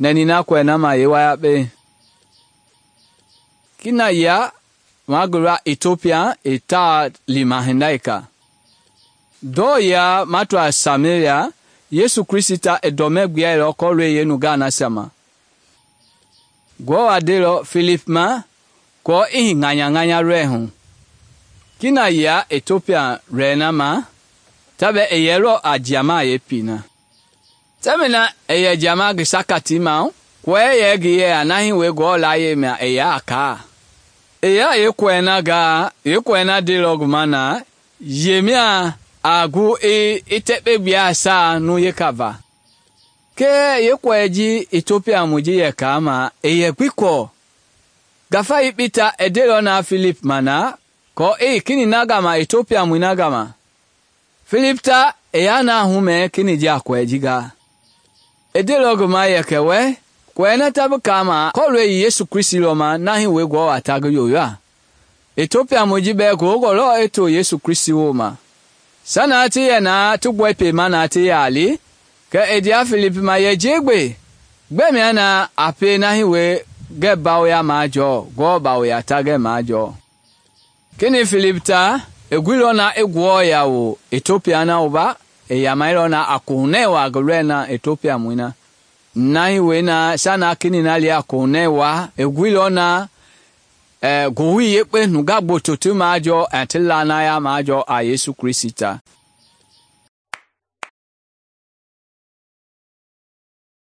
nɛni na kɔɛ na ma yeewayakpe. Kina yia ma gula Ethiopia i taa lima hinda yeka. Dɔɔ ya ma toa Samaria, Yesu Kristi ta i dɔmɛ gbiailɔ kɔlooi yeenungaa nasia ma. Ngewɔ a ndeilɔ Filip ma kɔɔ i hii ŋanya lɔɛ hu. Kina yia Ethiopia lɔɛ na ma, ta bɛ i yɛlɔ a jiama yeepii na. Tɛmɛi na i yɛ jiama ngi sakatii ma, kɔɛ yɛ ngi yeya na hii wee Ngewɔ layie mia i ya a kaa. I ya yeekɔɛ na gaa, yeekɔɛ na ndeilɔ ngi ma na, yemia a gu i tɛkpe gbia saa nu yeka va. Kɛɛ yeekɔɛ ji Ethiopia mu ji yɛ kaa ma, i yɛ gbi kɔɔ. Ngafa yekpei ta i ndeilɔ na Filip ma na, kɔɔ kini na gama Ethiopia mui na gama. Filip ta i ya na humɛ kini ji a kɔɛ ji gaa. I ndeilɔ ngi ma yɛ kɛ wɛ, kɔɛ na ta bi kaama kɔlooi i Yesu Kristi lɔ ma na hii wee Ngewɔ a ta ngi yoya. Ethiopia mui ji bɛɛ ngowongɔ lɔ i to Yesu Kristi wooma. Sana ti yɛ na ti gbɔi pema na ti yaa li, kɛ i ndea Filip ma yɛ jegbe. Gbɛmia na a pe na hii wee ngɛ bawoya majɔɔ, Ngewɔ bawoya ta ngɛ majɔɔ. Kini Filip ta, i guilɔ na i Ngewɔ yawo Ethiopia na wova, i yamailɔ na a kohunɛ waa ngi lɔɛ na Ethiopia mui na. Na hii wee na sana kini na li a kohunɛ waa, i guilɔ na ngowili yekpe nungaa gboto ti majɔɔ ti lanaya majɔɔ a Yesu Kristi ta.